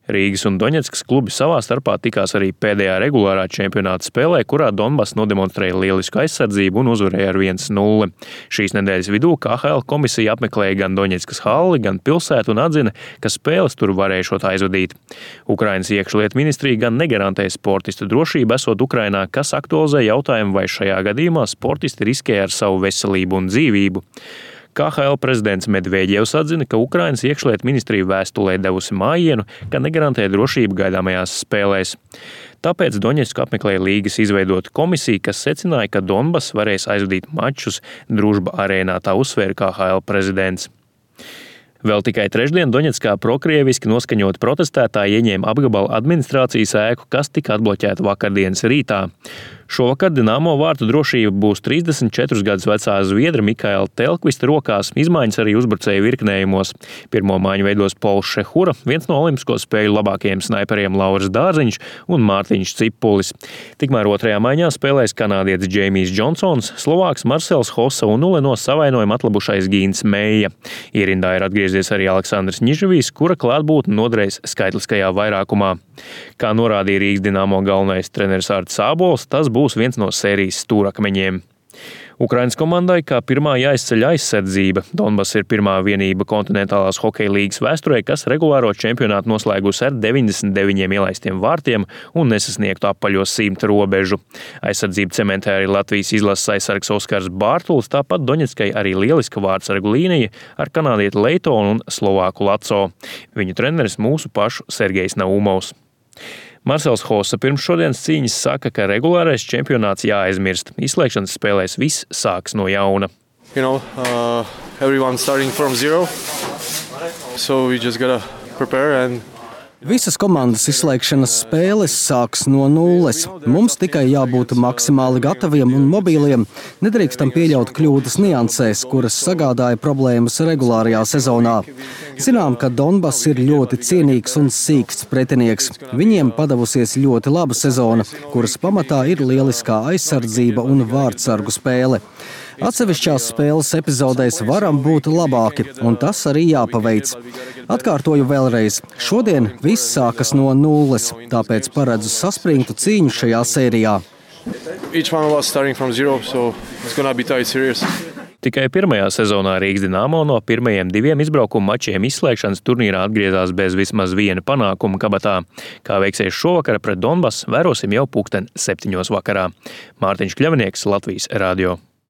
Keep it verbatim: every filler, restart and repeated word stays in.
Rīgas un Doņetskas klubi savā starpā tikās arī pēdējā regulārā čempionāta spēlē, kurā Donbass nodemonstrēja lielisku aizsardzību un uzvarēja ar viens nulle. Šīs nedēļas vidū K H L komisija apmeklēja gan Doņetskas halli, gan pilsētu un atzina, ka spēles tur varēšot aizvadīt. Ukrainas iekšlietu ministrija gan negarantē sportistu drošību esot Ukrainā, kas aktualizē jautājumu, vai šajā gadījumā sportisti riskē ar savu veselību un dzīvību. K H L prezidents Medvēģevs atzina, ka Ukrainas iekšlietu ministrija vēstulē devusi mājienu, ka negarantē drošību gaidāmajās spēlēs. Tāpēc Doņetsku apmeklēja līgas izveidota komisija, kas secināja, ka Donbass varēs aizvadīt mačus Družba arēnā, tā uzsvēra K H L prezidents. Vēl tikai trešdien Doņetskā prokrieviski noskaņoti protestētāji ieņēma apgabala administrācijas ēku, kas tika atbloķēta vakardienas rītā. Šovakar Dinamo vārtu drošība būs trīsdesmit četrus gadus vecā zviedra Mikaela Telkvista rokās, izmaiņas arī uzbrucēju virknējumos. Pirmo maiņu veidos Pols Šehura, viens no olimpisko spēļu labākajiem snaiperiem Lauris Dārziņš un Mārtiņš Cipulis. Tikmēr otrajā maiņā spēlēs kanādietis Džeimijs Džonsons, Slovāks Marcels Hossa un nulle no savainojuma atlabušais Gīns Meija. Ierindā ir atgriezies arī Aleksandrs Ņižavijs, kura klātbūtne noderēs skaitliskajā vairākumā. Kā norādīja Rīgas Dinamo galvenais treneris Artis Ābols, tas būs viens no sērijas stūrakmeņiem. Ukrainas komandai kā pirmā jāizceļ aizsardzība. Donbass ir pirmā vienība kontinentālās hokeja līgas vēsturē, kas regulāro čempionātu noslēgusi ar deviņdesmit deviņiem ielaistiem vārtiem un nesasniegtu apaļo simta robežu. Aizsardzību cementē arī Latvijas izlases aizsargs Oskars Bārtuls, tāpat Doņetskai arī lieliska vārtsargu līnija ar kanādieti Leitonu un Slovāku Laco. Viņu treneris mūsu pašu Sergejs Naumovs. Marcels Hossa pirms šodienas cīņas saka, ka regulārais čempionāts jāaizmirst. Izslēgšanas spēlēs viss sāks no jauna. You know, uh, everyone's starting from zero, so we just gotta prepare and Visas komandas izslēgšanas spēles sāks no nulles. Mums tikai jābūt maksimāli gataviem un mobīliem. Nedrīkstam pieļaut kļūdas niansēs, kuras sagādāja problēmas regulārajā sezonā. Zinām, ka Donbass ir ļoti cienīgs un sīksts pretinieks. Viņiem padavusies ļoti laba sezona, kuras pamatā ir lieliskā aizsardzība un vārtsargu spēle. Atsevišķās spēles epizodēs varam būt labāki, un tas arī jāpaveic. Atkārtoju vēlreiz, šodien viss sākas no nulles, tāpēc paredzu saspringtu cīņu šajā sērijā. Zero, so Tikai pirmajā sezonā Rīgas Dinamo no pirmajiem diviem izbraukuma mačiem izslēgšanas turnīrā atgriezās bez vismaz viena panākuma kabatā. Kā veiksies šovakar pret Donbass, vērosim jau pulksten septiņos vakarā. Mārtiņš Kļavnieks, Latvijas radio.